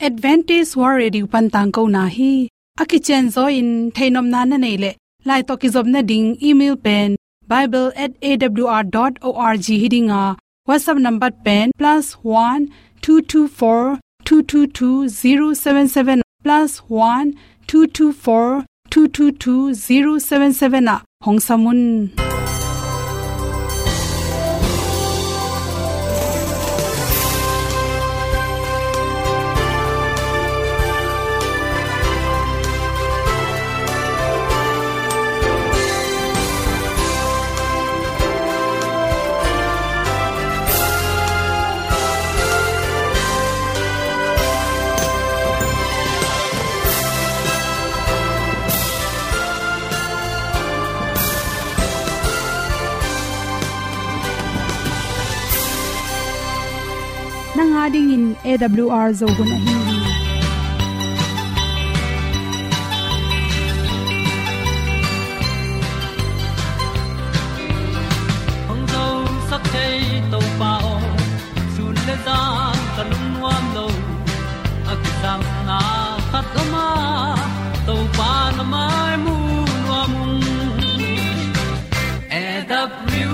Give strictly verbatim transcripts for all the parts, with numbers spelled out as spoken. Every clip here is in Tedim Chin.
Adventist World Radio pan tangkona hi. A kicianzaw in theihnopna na neih leh, lai tawh kizopna ding email pen bible at A W R dot org hi ding a, WhatsApp number pen plus one two two four two two two zero seven seven, plus one two two four two two two zero seven seven ah hong sam un. Nang a dingin A W R Zo hun ahi hi. Hong zosak thei Topa aw, sun le zan ka lungnuam lo. A kisapna khat om a, Topa na mai mu nuam ung. A W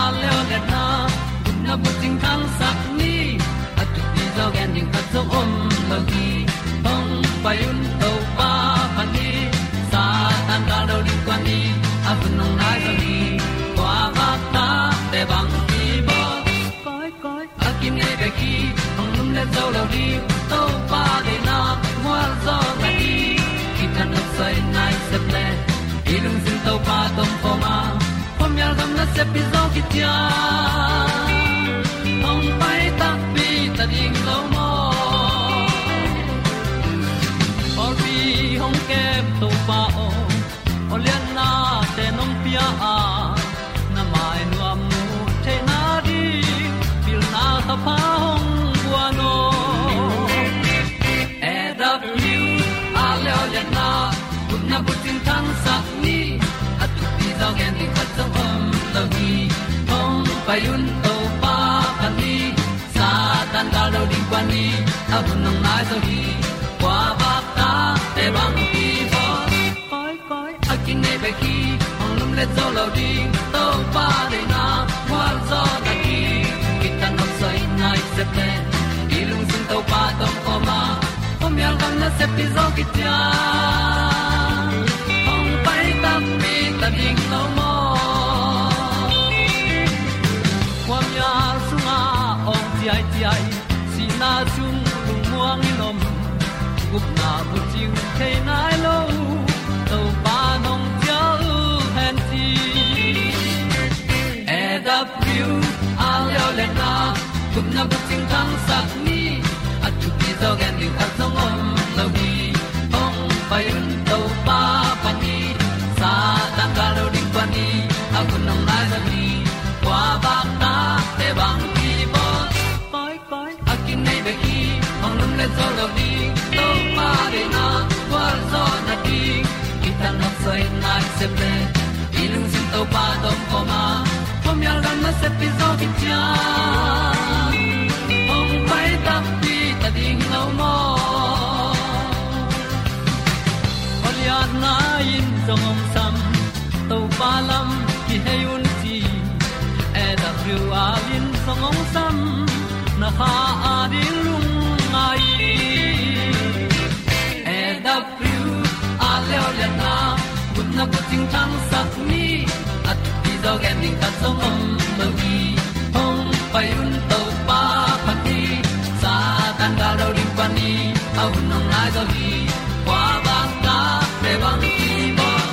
R Zo hun na bucing thangsak ni, a thupi zaw gen ding khat zong om lo hi. Hong pai un Topa pan hi, Satan gal do ding kuan hi, a hun hong nai zaw hi. Kua vak ta te bang hi bawl. Koi, koi, a kinei bek hi, hong lum le zo lo ding, Topa deihna mual zaw na hi. Kitang a soi nai sep le, i lungsim Topa tawh om khawm a, khuamial gam nasep hi zaw kician. Hong pai takpi ta ding lo maw? Pawlpi hong kem Topa aw, aw liannate nong pia a, na mai nuam mu theihna ding pilna thapha hong guan aw. A W R Zo hun na bucing thangsak ni, a thupi zaw gen ding khat zong om lo hi. Hong pai un Topa pan hi, Satan gal do ding kuan hi, a hun hong nai zaw hi. Kua vak ta te bang hi bawl. Koi, koi, a kinei bek hi, hong lum le zo lo ding, Topa deihna mual zaw na hi. Kitang a soi nai sep le, i lungsim Topa tawh om khawm a, khuamial gam nasep hi zaw kician. Hong pai takpi ta ding lo maw? Khuamial sungah awng ciaiciai, sihna sung lungmuang in om, gupna bucing thei nai lo, Topa nong cial hen ci. A W R Zo hun na gupna bucing thangsak ni, a thupi zaw gen ding khat zong om lo hi. Hong pai un Topa pan hi, Satan gal do ding kuan hi, a hun hong nai zaw hi. Kua vak ta te bang hi bawl. Koi, koi, a kinei bek hi, hong lum le zo lo ding, Topa deihna gualzawhna ding. Kitang a soi nai sep le, i lungsim Topa tawh om khawm a, khuamial gam nasep hi zaw kician. Hong pai takpi ta ding lo maw? Aw liatna in zong hong sam, Topa lam kihei un ci. A W R in zong hong sam, na kha a ding lungngai. A W R Zo liatna, gupna bucing thangsak ni, a thupi zaw gen ding khat zong om lo hi. Hong pai un Topa pan hi, Satan gal do ding pan hi, a hun hong nai zaw hi. Kua vak ta te bang hi bawl.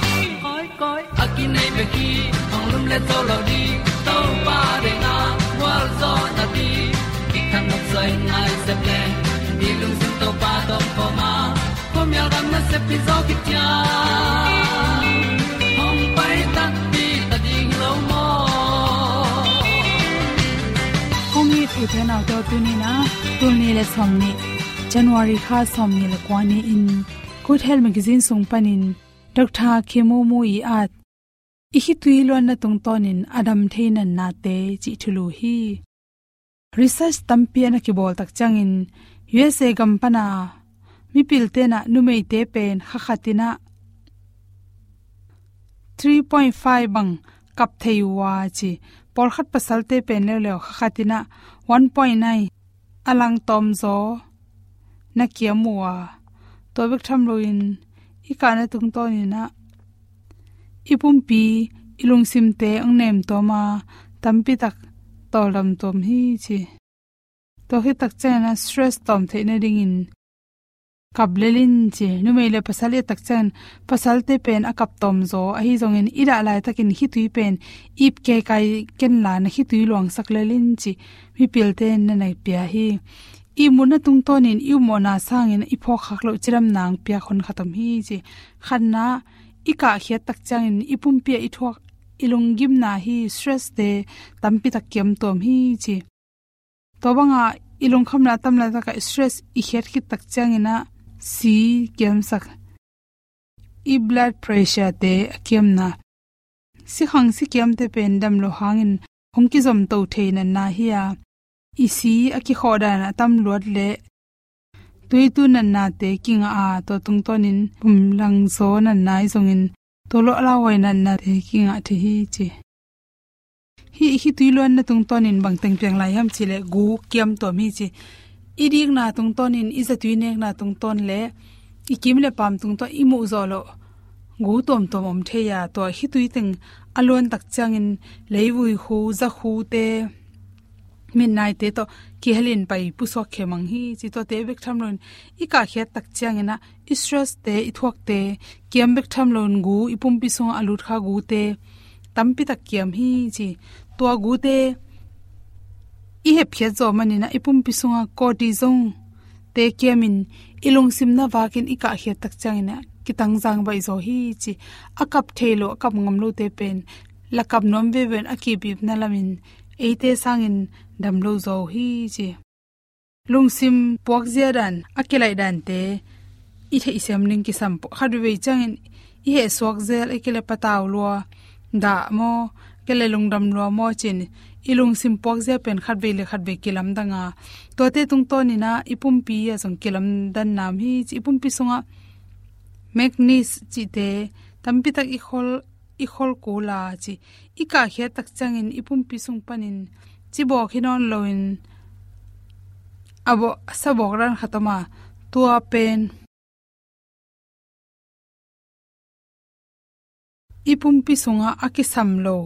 Koi, koi, a kinei bek hi, hong lum le zo lo ding, Topa deihna gualzawhna ding. Kitang a soi nai sep le, i lungsim Topa tawh om khawm a, khuamial gam nasep hi zaw kician. Hong pai takpi ta ding lo maw? Kong it i theihna tawh tuni-in a, tul nih le sawmnih, January kha sawmnih le kua ni-in, Good Health Magazine sung panin Doctor Kim Woo Moo i at, i khitui luanna tungtawnin a dam thei nate cih thulu hi. Research tampi a na kibawl tak ciangin, U S A gam pana mipilte na numeite pen kha khat ina three point five bang kap thei uh a ci. Pawlkhat pasalte pen leuleu kha khat ina one point nine a lang tawm zaw na kiam uh a. Tua bek tham loin i kahna tungtawn ina i pumpi i lungsimte ang nem tawm a, tampi tak tawldam tawm hi ci. Tua khit tak ciangin a stress tawm theih nadingin kap lel in ci. Numei le pasal i et tak ciangin pasalte pen a kap tawm zaw, ahi zongin i dah laitakin khitui pen ip keikai ken la na khitui luangsak lel in ci. Mipilte in na na pia hi. I mutna tungtawnin i upmawhna sangin i phawkkhak loh cidamna ang piak hun khat om hi ci. Khatna, i kahkhiat tak ciangin i pumpi ah i thuak i lunggimna hi, stress te tampi tak kiam tawm hi ci. Tua banga i lungkhamna a tam laitaka stress i khiat khit tak ciangin a si kiamsak, i blood pressure te a kiamna, sikhang sikiamte pen dam lo hangin hong kizom to thei natna hi a, i si a kikhawh dan a tam luat le tuitu natnate kingah a, tua tungtawnin pumlangzaw natna i zongin tua lo a lauhuai natnate kingah thei hi ci. Hih i khitui luanna tungtawnin bangteng piang lai hiam cih leh gu kiam tawm hi ci. I dikna tungtawnin, i zatui nekna tungtawn le i kim le paam tungtawn i muh zawh loh gu tuamtuam om thei a, tua khitui teng a luan tak ciangin leivui khu, za khute, mitnaite tawh kihelin pai pusuak khia mang hi ci. Tuate bek tham loin i kahkhiat tak ciangin a i stress te, i thuakte kiam bek tham loin gu, i pumpi sungah a lut kha gute tampi tak kiam hi ci. Tua gute i hepkhiat zawh manin a i pumpi sungah cortisone te kiamin i lungsim na vakin i kahkhiat tak ciangin a kitangzang baih zaw hi ci. A kap thei lo, a kap ngam lote pen la kap nuam veve in a kibipna lamin eite sangin dam lo zaw uh hi ci. Lungsim puakzia dan, a kilaih dante i theihsiam ding kisam. Khat veivei ciangin i hehsuak zel, a kile patau lua dah maw, kile lungdam lua maw cin, i lungsim puakzia pen khat vei le khat vei kilamdang a, tuate tungtawnin a i pumpi a zong kilamdan nam hi ci. I pumpi sungah magnesium cihte tampi tak i khol, i khol kul a ci. I kahkhiat tak ciangin i pumpi sung panin cibawk hi nawn loin a bawh, sa bawk dan khat om a, tua pen i pumpi sungah a kisam lo,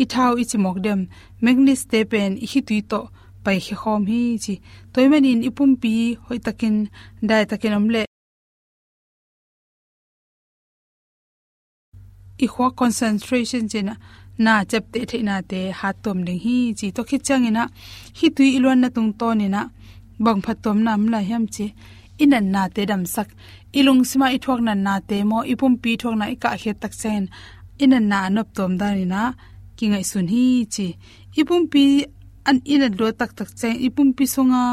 i thau i cimawk dem, magnesium te pen i khitui tawh paikhia khawm hi ci. Tua ahih manin i pumpi hoihtakin, daitakin om leh i khuak concentration cihna, na ciapteh theihnate hattuam ding hi ci. Tua khit ciangin a khitui i luanna tungtawnin a bang phattuamna om lai hiam ci. I natnate damsak, i lungsimah i thuak natnate maw, i pumpi i thuakna i kahkhiat tak ciangin i natna a noptuam danin a kingaihsun hi ci. I pumpi an i nat luat taktak ciangin i pumpi sunga,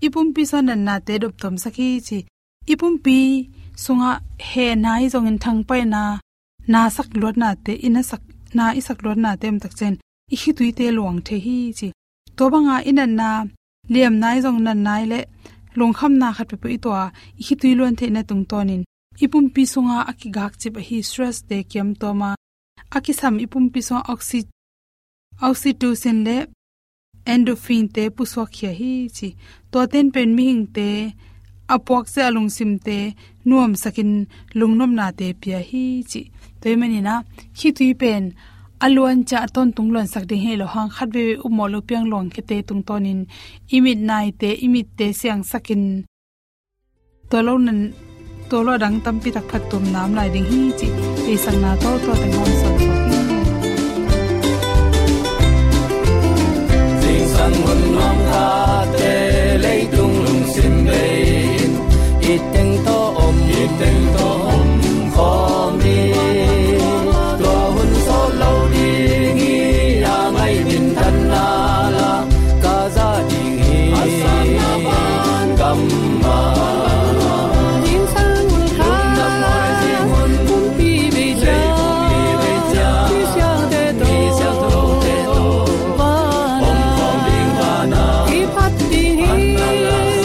i pumpi sungah natnate doptuamsak hi ci. I pumpi sungah hehna hi zongin thangpaihna, na sak luatnate, i na sak, na i sak luatnate om tak ciangin i khituite luang thei hi ci. Tua banga i natna, liamna hi zong natna hi leh lungkhamna khat peuhpeuh i tuah a, i khitui luan theihna tungtawnin i pumpi sunga a kigakcip ahi stress te kiamtuam a, a kisam i pumpi sungah oxy-, oxytocin le endorphin te pusuakkhia hi ci. Tuate in pen mihingte a puakzia, a lungsimte nuamsakin lungnopnate pia hi ci. Tua ahih manin a khitui pen a luan ciang a tawntung luansak ding hi lo hang, khat veivei upmawh lo piang luangkhiate tungtawnin i mitnaite, i mitte siangsakin tua lo nan, tua lo a dang tampi tak phattuamna om lai ding hi ci. Deihsakna tawh tua teng hong sawl suak hi. Zingsang hun nuam khate leitung lungsim bei in, i teng tawh om, i teng tawh om khawm hi. Tua hun sawt lo ding hi a, ngai minthanna la ka za ding hi. A sang a ban gam mah. Zingsang hun kha pumpi bei ciang, mi siangtho, mi siangthote tawh vana om khawm ding, vana i phat ding hi.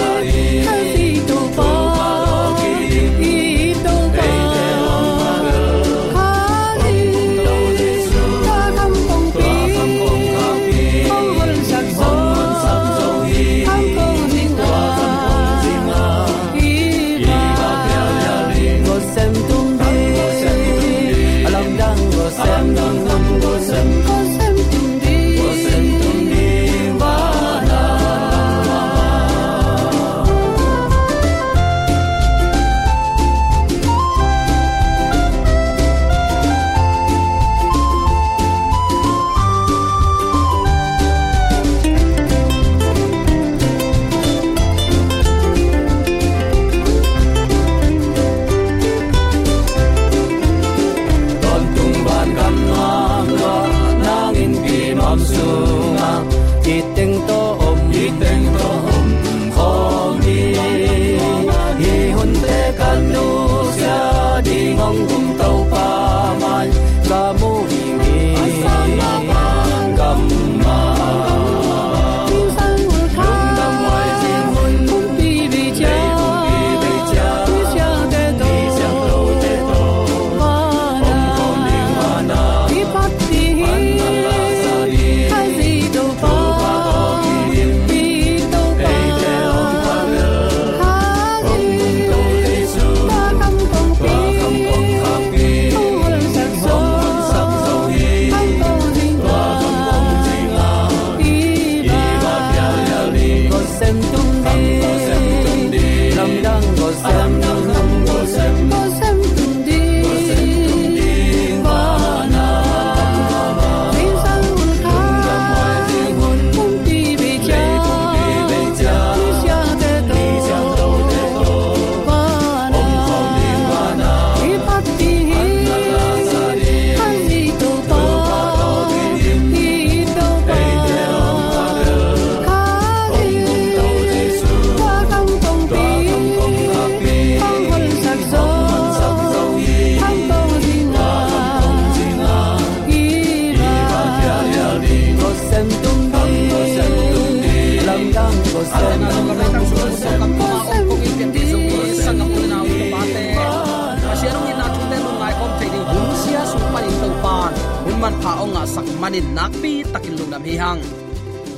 Anin nakpi takin lungdam hi hang.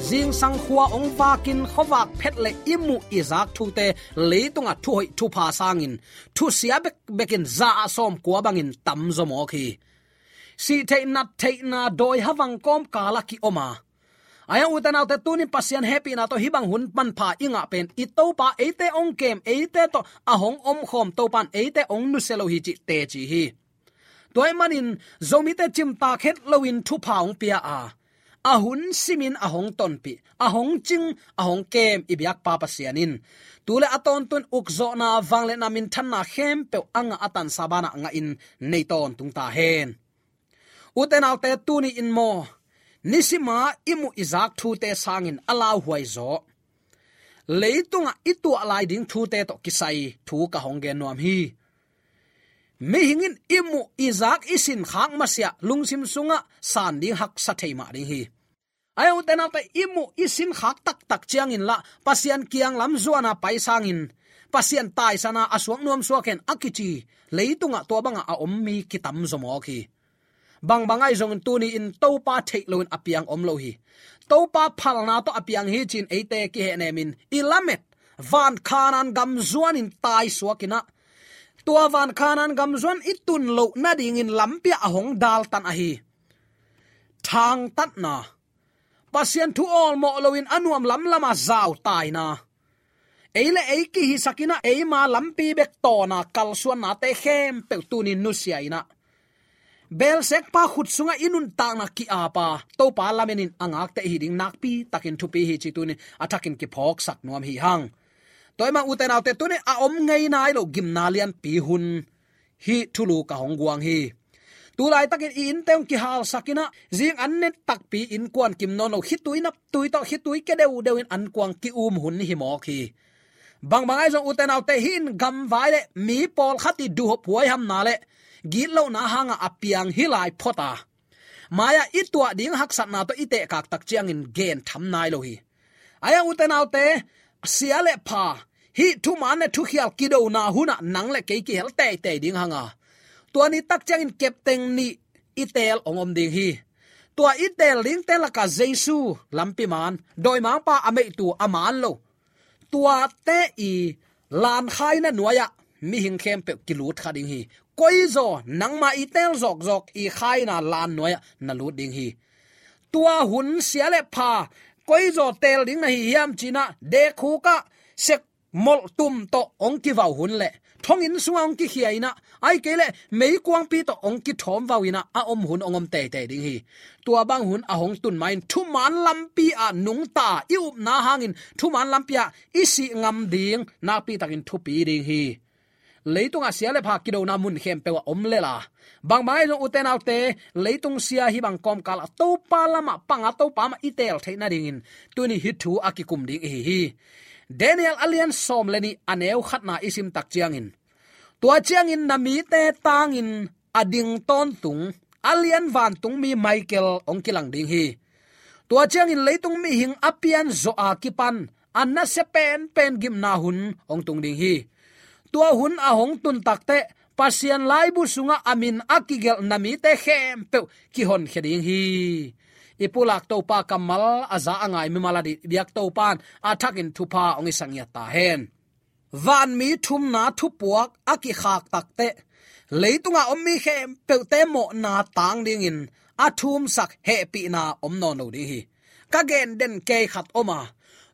Zingsang khua hong vakin khuavak phet le i muh i zak thute leitungah thuhoih thupha sangin thusia bekbekin za a sawmkua bangin tamzaw mawk hi. Sih theih nat theihna dawi havang kawmkal a ki-om a, ahi hang ute naute, tunin Pasian hehpihna tawh hih bang hun manpha i ngah pen i Topa eite hong kem, eite tawh a hong omkhawm Topa in eite hong nusia lo hi cih teci hi. Tua ahih manin Zomite cimtak het loin thupha hong pia a, a hun simin a hong tonpih, a hong cing, a hong kem i biakpa Pasian in tu le a tawntung ukzawhna, vangliatna, minthanna khempeuh a ngah a tansa banah ngahin nei tawntung ta hen. Ute naute, tuni in maw, nisima i muh i zak thute sangin a lauhuai zaw leitungah i tuah lai ding thute tawh kisai thu ka hong gen nuam hi. Mihing in i muh i zak i sinkhak masiah lungsim sungah san ding haksa thei mah ding hi. Ahi hang ute naute, i muh i sinkhak taktak ciangin lah Pasian kiang lam zuana pai sangin Pasian taisana a suak nuam suak hen a kici leitungah tua bangah a om mi kitamzaw mawk hi. Bangbang ahi zongin tuni in Topa theih loin a piang om lo hi. Topa phalna tawh a piang hi ci-in eite kihehnemin i lamet van Khanaan gam zuanin taisuakin ah, tua van Khanaan gam zuan i tun loh nadingin lampi ah a hong daltan ahi. Thangtatna, Pasian thu awlmawh loin a nuam lamlamah zautai na, ei le ei kihisakin ah eima lampi bek tawna kalsuannate khempeuh tunin nusia in ah, belsekpa khut sungah i nuntakna ki-apa, Topa lamenin a ngakte i hi ding nakpi takin thupi hi ci tunin a thakin kiphawksak nuam hi hang. Tua ahih manin ute naute, tunin a om ngei nai lo gimna lianpi hun hih thulu ka hong guang hi. Tulaitakin i innte hong kihalsakin ah, zing an ne takpi innkuan kim nawn lo, khitui naptui tawh khitui kia deudeuin ankuang ki-um hun hi mawk hi. Bangbang ahi zong ute naute, hih in gamvai le mi pawlkhat i duhhop huaihamna le gitlohna hangah a piang hi lai phot a, mai-ah i tuah ding haksatna tawh i tehkak tak ciangin gen tham nai lo hi. Ahi hang ute naute, sia le pha, hih thuman le thukhial kidona hunah nang le kei kihel teitei ding hang a, tua ni tak ciangin kepteng nih i teel hong om ding hi. Tua i teel dingte lakah Jesu, lampi man, dawimangpa, a meihtu, a man lo, tuate i lankhaina nuai-ah mihing khempeuh kilut kha ding hi. Koizaw nangma i teel zawkzawk i khaina lan nuai-ah na lut ding hi. Tua hun sia le pha, koizaw teel ding na hi hiam ci-in ah, dekhuk ah sek molhtum tawh hong kivau hun le thonginn sungah hong kikhia in ah, ahih kei leh meikuangpi tawh hong kithawmvau in ah a om hun hong om teitei ding hi. Tua bang hun a hong tun ma-in thuman lampi ah nungta i upna hangin thuman lampi ah i sih ngam ding nakpi takin thupi ding hi. Leitungah sia le pha kidona mun khempeuh ah om lel a, bangbang ahi zong ute naute, leitung sia hih bang kawmkal ah Topa lamah panga, Topa mah i teel theih nadingin tuni hih thu a kikum ding i hi hi. Daniel a lian sawm le nih, a neu khatna i sim tak ciangin, tua ciangin na mite tangin a ding tawntung a lian vantungmi Michael hong kilang ding hi. Tua ciangin leitung mihing a pianzawh a kipan a nasia penpen gimna hun hong tung ding hi. Tua hun a hong tun takteh Pasian laibu sungah a min a kigelh na mite khempeuh kihonkhia ding hi. I pulak Topa kammal a za a ngai mimal a dih biak Topa in a thakin thupha hong hisak ngiat ta hen. Vanmi thumna thupuak a kikhak takteh leitungah om mi khempeuhte mawhna tang dingin a thumsak hehpihna om nawn lo ding hi. Ka gen den kei khat om a,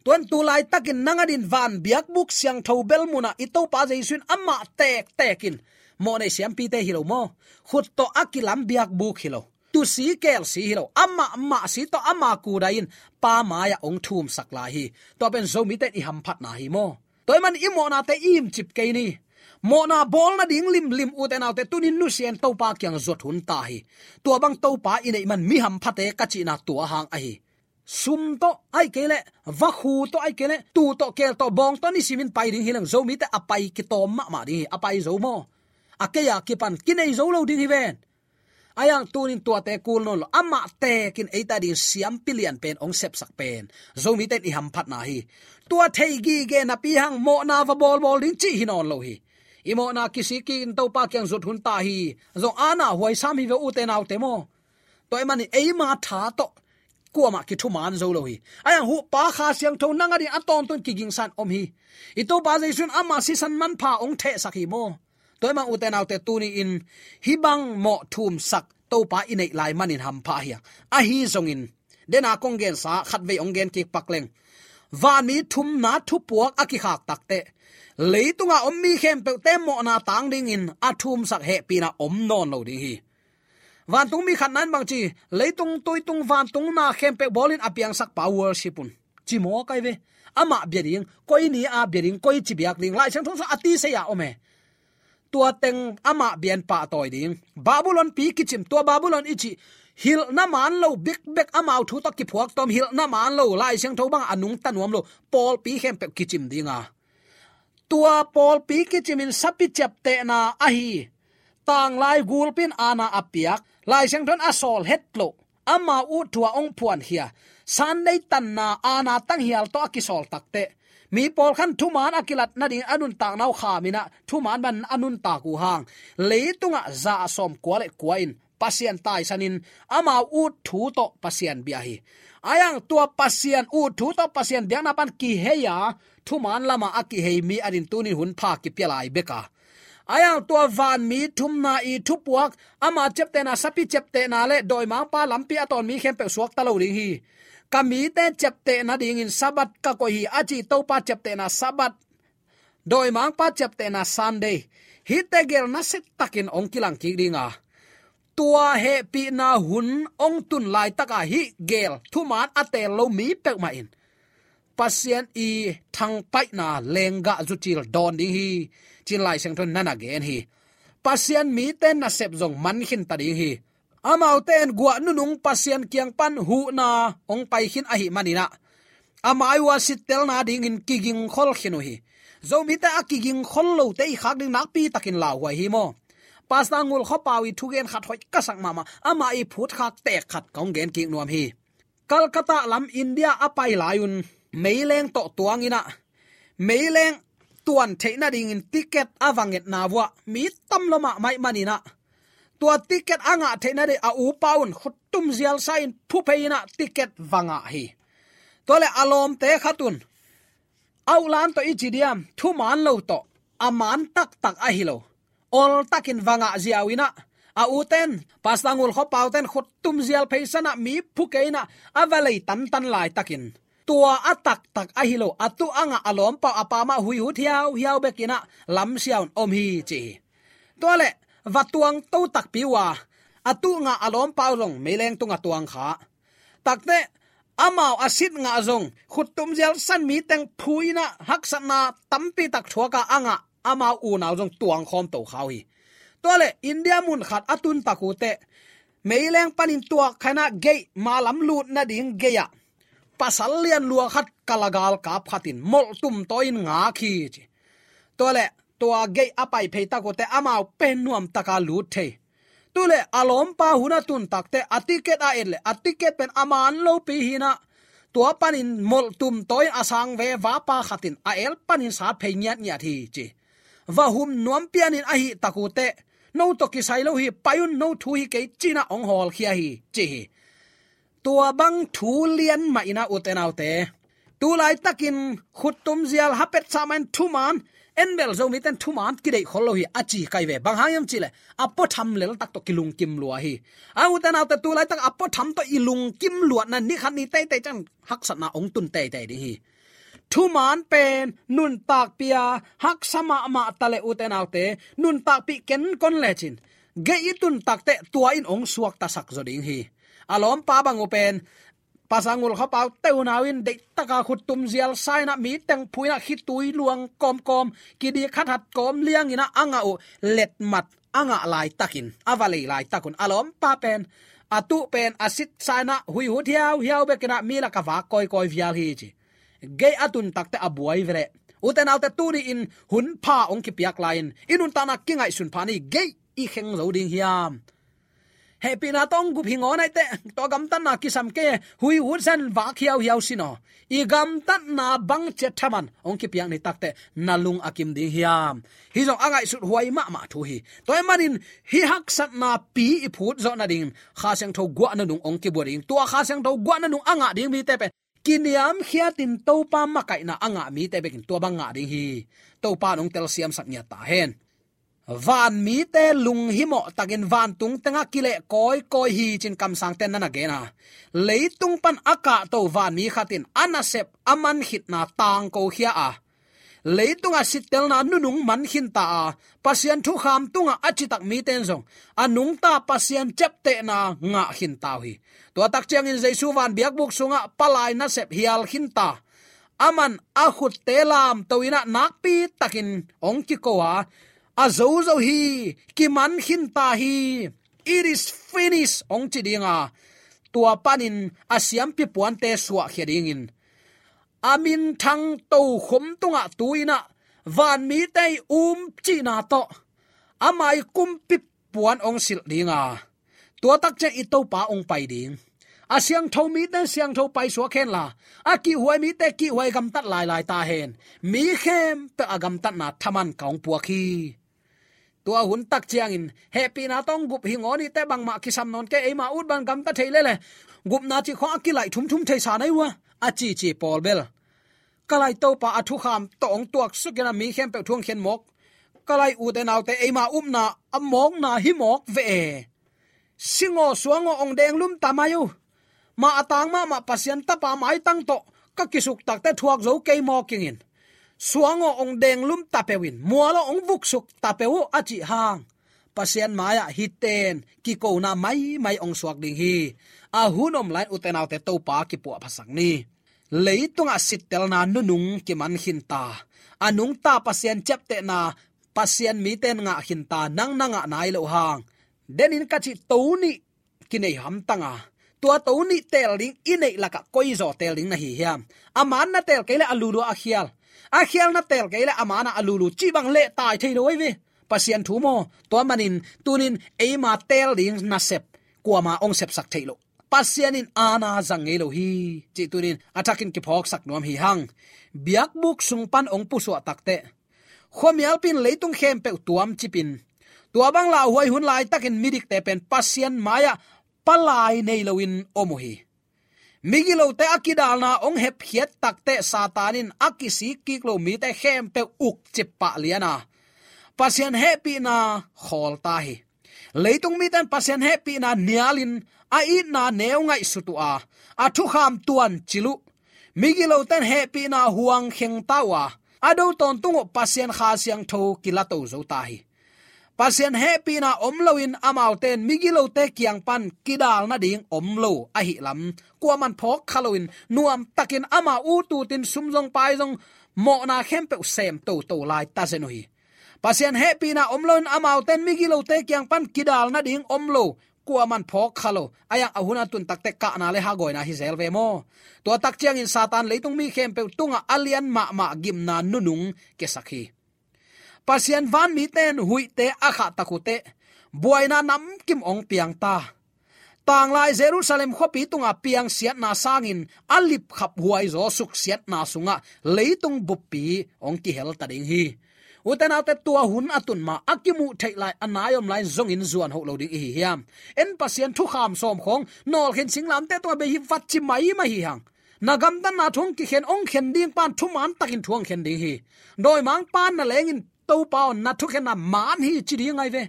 tuan tu laitakin nang adin van biakbuk siangtho bel munah i Topa Jesu in amah tektekin mawhnei siampite hi lo maw, khut tawh a kilam biakbuk hi lo, tusi kelsi hi lo, amah mahsi tawh ama kudai in Pa mai-ah hong thumsak lai hi. Tua pen Zomite in i hamphatna hi maw. Tua ahih man i mawhnate i imcip kei ni. Mawhna bawl nading limlim ute naute, tunin nusia in Topa kiang zuat hun ta hi. Tua bang Topa i neih man mi hamphate ka cihna tua hang ahi. Sum tawh ahih kei leh, vakhu tawh ahih kei leh, tuu tawh, keel tawh, bawng tawh nisimin pai ding hi leng, Zomite a pai kitawm mahmah ding hi, a pai zo maw? A kei a kipan kinei zo lo ding hi ven. Ahi hang tunin tuate kul nawn lo, amah tekin eite ading siampi lian pen hong sepsak pen Zomite in i hamphatna hi. Tua thei gige napi hang mawhna va bawlbawl ding cih hi nawn lo hi. I mawhna kisik kikin Topa kiang zuat hun ta hi. Zong ana huai sam hi ve ute naute maw. Tua ahih manin eima tha tawh kuamah kithuman zo lo hi. Ahi hang Huhpa Kha Siangtho nang adingin a tawntung kigingsan om hi. I Topa Jesu in ama sisan manpha hong thehsak hi maw? Tua ahih manin ute naute, tuni-in hih bang mawh thumsak Topa i neih lai manin hampha hi a, ahi zongin, dena kong gensa khatvei hong gen kik pak leng, vanmi thumna thupuak a kikhak takteh, leitunga om mi khempeuhte mawhna tang dingin a thumsak hehpihna om nawn lo ding hi. Vantungmi khatna in bangci, leitung tuitung vantung na khempeuh bawlin a piangsakpa worship un, ci maw kai ve. Amah bia ding, koi ni a bia ding, koi ci biak ding, Lai Siangtho sung a ti sei a om e. Tua teng amah bia in pahtawi ding. Babylon pi kicim, tua Babylon i cih, hilhna man lo, bikbek amau thu tawh kiphuak tawm, hilhna man lo, Lai Siangtho bang a nungta nuam lo pawlpi khempeuh kicim ding a, tua pawlpi kicimin sapi ciaptehna ahi, tanglai gulpi in aana a piak, Lai Siangtho in a sawl het loh, amau ut thu a hong phuankhia, Sunday tanna aana tanghial tawh a kisawl takteh, mi pawlkhat in thuman a kilat nading a nuntakna uh khamin ah, thuman bangin a nuntak uh hang, leitungah za sawmkua le kua in Pasian taisanin, amau ut thu tawh Pasian bia hi. Ahi hang tua Pasian ut thu tawh Pasian biakna pan kihei a, thuman lamah a kihei mi adingin tuni-in hun pha kipia lai bek a, ahi hang tua vanmi thumna i thupuak, ama ciaptehna, sapi ciaptehna le dawimangpa lampi a tawn mi khempeuh suakta lo ding hi. Ka mite ciaptehna dingin Sabbath ka koih hi, a ci Topa ciaptehna Sabbath, dawimangpa ciaptehna Sunday, hihte gel nasia takin hong kilang kik ding a, tua hehpihna hun hong tun laitaka hih gel thuman a teel lo mi peuhmah in Pasian i thangpaihna lenggah zucil dawn ding hi, ci-in Lai Siangtho in na na gen hi. Pasian mite nasep zong man khinta ding hi. Amaute in guah nunung Pasian kiang pan huhna hong pai khin ahih manin ah, a mai uh a sittelna dingin kigingkhol khin uh hi. Zomite a kigingkhol lote i khak ding nakpi takin lauhuai hi maw? Pastor Ngul Khua Pau i thugen khat hoih ka sak mahmah, amah i phutkhak tek khat kong gen kik nuam hi. Calcutta lam India a pai lai un meileng tawh tuangin ah, meileng tuan theih nadingin ticket a va ngetna uh ah, mi tam lua mahmah ahih manin ah, tua ticket a ngah theih nading a upa un khuttum zialsa in phuphei in ah ticket va ngah hi. Tua leh a lawmte khat un, a ulan tawh i ci diam, thuman lo tawh, a man taktak ahi lo, ol takin va ngah ziau in ah, a uten, Pastor Ngul Khua Pau ten khuttum zial pheisan ah, mi phu kei in ah, a va lei tantan laitakin, tua a taktak ahi lo, a tuh a ngah a lawmpa uh a pa mah huihut hiauhiau bek in ah, lamsia un om hi, ci hi. Tua leh va tuang to takpi uh a, a tuh ngah a lawmpa uh zong meileng tungah tuang kha. Takteh, amau a sit ngah zong, khuttum zialsa in mi teng phu in ah, haksatna tampi tak thuak a a ngah amau unau zong tuang khawm to kha uh hi. Tua leh India mun khat a tun tak uh teh, meileng panin tuak kha in ah gate, ma lam lut nading gate ah, pasal lian lua khat kalagal kap khat in molhtum tawi in ngak hi, ci. Tua leh tua gate a pai phei tak uh teh, amau pen nuam taka lut thei. Tu leh a lawmpa hun a tun tak teh, a ticket a et leh, a ticket pen a man lopi hi in ah, tua panin molhtum tawi in a sang veva pa khat in a el panin sat phei ngiatngiat hi, ci. Va hum nuam pianin ahih tak uh teh, no tawh kisai lo hi, pai un, no thu hi kei, ci in ah hong hawlkhia hi, ci hi. Tua bang thu lian mah in ah, ute naute, tu laitakin khuttum zial ha petsah mah in thuman, en bel Zomite in thuman kideih khol lo hi, a ci kai ve. Bang hang hiam cih leh, a puatham lel tak tawh kilungkim lua hi. A, ute naute, tu laitak a puatham tawh i lungkim luatna, ni khat ni teitei ciang haksatna hong tun teitei ding hi. Thuman pen nuntakpi a haksa mahmah ta leh, ute naute, nuntakpih kenkon lecin, gate i tun tak teh tua in hong suaktasak zaw ding hi. A lawmpa bang uh pen, Pastor Ngul Khua Pau te unau in deihtaka khuttum zialsa in ah, mi teng phu in ah, khitui luang kawmkawm, kidik hathat kawm liang in ah a ngah uh, letmat a ngah laitakin, a va lei laitak un, a lawmpa pen, a tuh pen a sitsa in ah, huihut hiauhiau bek in ah, mi lakah vak kawikawi vial hi, ci. Gate a tun tak teh a buai ve leh, ute naute, tuni-in hun pha hong kipiak lai-in, i nuntakna kingaihsun pha ni, gate i kheng zo ding hiam? Hehpihna tawh hong gup hi ngaw nai teh, tua gamtatna kisam kei, hui ut zen vak hiauhiau sin aw. I gamtatna bang ciat thaman hong kipiak ni takteh na lung a kim ding hiam? Hih zong a ngaihsut huai mahmah thu hi. Tua ahih manin hih haksatna pi i phut zawh nadingin Kha Siangtho guah nunung hong kibua ding. Tua Kha Siangtho guah nunung a ngah ding mite pen kiniamkhiatin Topa makaihna a ngah mite bekin tua bang ngah ding hi. Topa in hong telsiamsak ngiat ta hen. Vanmite lunghimawh takin vantung tengah kileh kawikawi hi ci-in kamsangte'n na na gen a, leitung pan a kahto vanmi khat in a nasep a man khitna tangkokhia a, leitungah sittelna nunung man khinta a, Pasian thukham tungah a citak mite'n zong a nungta Pasian ciaptehna ngah khinta uh hi. Tua tak ciangin Jesu van biakbuk sungah palai nasep hial khinta, aman a khutte lamto in ah nakpi takin hong kiko a, a zozo hi, kiman khinta hi, it is finished hong ci ding a, tua panin a siampi puante suahkhia dingin a minthang tokhom tungah tu-in ah vanmite i um cihna tawh ama i kumpi puan hong silh ding a, tua tak ciang i Topa hong pai ding. A siangtho mite siangtho paisuak hen la, a kihhuai mite kihhuai gamtat lailai ta hen. Mi khempeuh a gamtatna thaman ka hong puak hi. Tua hun tak ciangin hehpihna tawh hong gup hi ngaw ni teh, bangmah kisam nawn kei, eima ut bang gamta thei lel e. Gupna cih khawng a kilaih thumthum thei sa nai uh a, a cici pawl bel, ka lai Topa a thukham tawh hong tuaksuk in ah mi khempeuh thu hong khen mawk. Ka lai ute naute, eima upna a mawkna hi mawk ve e. Sing aw, suang aw, hong denglum ta mai uh. Mah a tang mahmah Pasian Tapa maitang tawh ka kisuk takteh thuak zo kei maw kingin, suang aw, hong denglum ta peuh in, mual aw, hong vuksuk ta peuh uh, a cih hang, Pasian mai-ah hihte in kikona maimai hong suak ding hi. A hun om lai-in ute naute, Topa kipuahphasak ni. Leitungah sittelna nunung kiman khinta, a nungta Pasian ciaptehna Pasian mite in ngah khinta, nang na ngah nai loh hang, denin ka cih to nih kinei hamtang a, tua to nih teel ding i neih lakah koi zaw teel ding na hi hiam? A man na teel kei leh a lulu a khial, a khial na teel kei leh a man a lulu, cih bang leh tai thei lo ahi ve. Pasian thu maw? Tua manin tunin eima teel ding nasep kuama hong sepsak theih loh, Pasian in aana zang ngei lo hi, cih tunin a thakin kiphawksak nuam hi hang. Biakbuk sung pan hong pusuah takteh, khuamialpi in leitung khempeuh tuamcip in, tua bang lauhuai hun laitakin midikte pen Pasian mai-ah palai nei loin om uh hi. Migilote a kidalna hong hepkhiat takteh Satan in a kisik kik lo mite khempeuh ukcip pah lian a, Pasian hehpihna khawl ta hi. Leitung mite in Pasian hehpihna nialin a itna neu ngaihsut uh a, a thukham tuancil uh. Migilote in hehpihna huang kheng ta uh a, a do tawntung uh Pasian Kha Siangtho kilato zo ta hi. Pasian hehpihna om loin amaute in migilote kiang pan kidal nading om lo ahih lam kuaman phawk kha loin, nuamtakin amau ut utin sum zong pai zong, mawhna khempeuh sem toto lai ta zen uh hi. Pasian hehpihna om loin amaute in migilote kiang pan kidal nading om lo kuaman phawk kha lo. Ahih hang a hun a tun takteh kahna le hagawina hi zel ve maw? Tua tak ciangin Satan leitung mi khempeuh tungah a lian mahmah gimna nunung kiasak hi. Pasian vanmite in huihte a khahtak uh teh, buaina namkim hong piang ta. Tanglai Jerusalem khuapi tunga piang siatna sangin a lipkhap huaizaw suksiatna sungah leitung buppi hong kihel ta ding hi. Ute naute, tua hun a tun ma a kimuh theih lai, a nai om lai zongin zuan hoh lo ding i hi hiam? En, Pasian thukham sawm khawng nawlkhin singlamteh tungah bei hi vat ci maimai hi hang. Na gamtatna thu hong kikhen, hong khen ding pan thuman takin thu hong khen ding hi. Dawimangpa'n nalengin Topa aw, na thukhenna man hi ci ding ahi ve.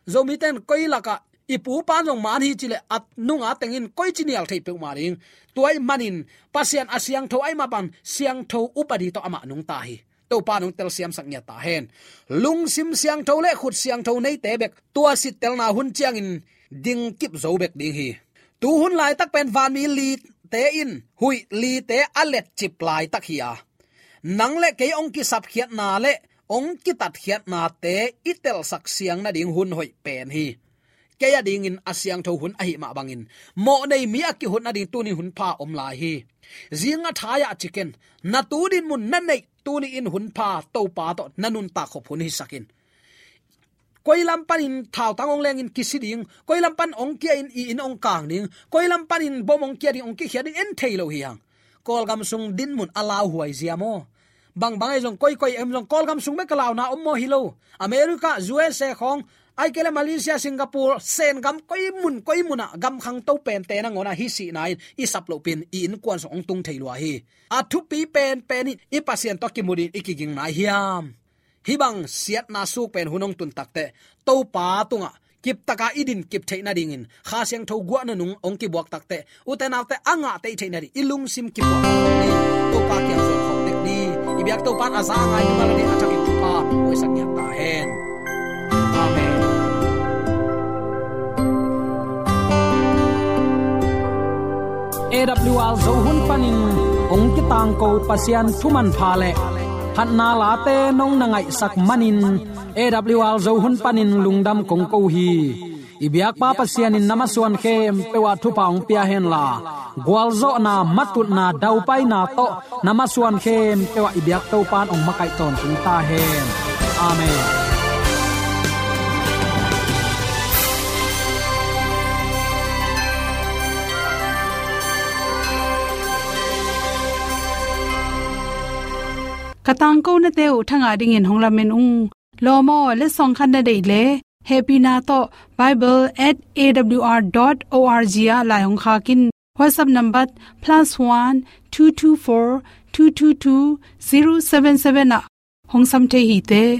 Zomite in koi lakah i pupa'n zong man hi ci leh a nunga tengin koici nial thei peuhmah ding. Tua ahih manin Pasian a siangtho ahih mah bang siangtho upadi tawh amah nungta hi. Topa in hong telsiamsak ngiat ta hen. Lungsim siangtho le khut siangtho neite bek tua sittelna hun ciangin dingkip zo bek ding hi. Tu hun laitak pen vanmi lite in huih lite a letcip laitak hi a, nang le kei hong kisapkhiatna le hong kitatkhiatnate i telsak siang nading hun hoih pen hi. Kei a dingin a siangtho hun ahih mah bangin, mawhnei mi a kihut nading tuni hun pha om lai hi. Zing a thai-ah ci ken, na tu dinmun na neih tuni in hun pha Topa tawh na nuntak khop hun hisak in. Koi lam panin thautang hong lengin kisi ding, koi lam pan hong kia in i inn hong kang ding, koi lam panin bom hong kia ding, hong kikhia ding en thei lo hi hang. Kawlgam sung dinmun a lauhuai zia maw? Bangbang ahi zong, koikoi em zong, Kawlgam sung bek a launa om maw? Hi lo. America, U S A khawng, ahih kei leh Malaysia, Singapore, Sen gam, koi mun koi munah gam khangto pente nangawnah hi sihna in i sap lohpin i innkuan sung hong tung thei lua hi. A thupi penpen in i Pasian tawh kimu dingin i kiging nai hiam? Hih bang siatna suk pen hun hong tun takteh, Topa tungah kiptaka i din kip theih nadingin, Kha Siangtho guah nunung hong kibuak takteh, ute naute a ngah teih theih nading i lungsim kipuah ni. Topa kiang zuan khawm tek ni. I biak Topa in a za a ngai mimal adingin a thakin thupha hong puaksak ngiat ta hen. Amen. A W R Zo hun panin hong kitangko Pasian thu manpha le phatna late nong na ngaihsak manin, A W R Zo hun panin lungdam kong ko hi. I biakpa Pasian in na masuan khempeuh ah thupha hong pia henla, gualzawhna, matutna, daupaina tawh na masuan khempeuh ah i biak Topa in hong makaih tawntung ta hen. Amen. Ka tangkonate uh thangah dingin hong lamen ung. Lawm aw, letsong khat na deih leh, hehpihna tawh bible at A W R dot O R G ah lai hong khak in. WhatsApp number plus one two two four two two two zero seven seven ah hong sam thei hi te.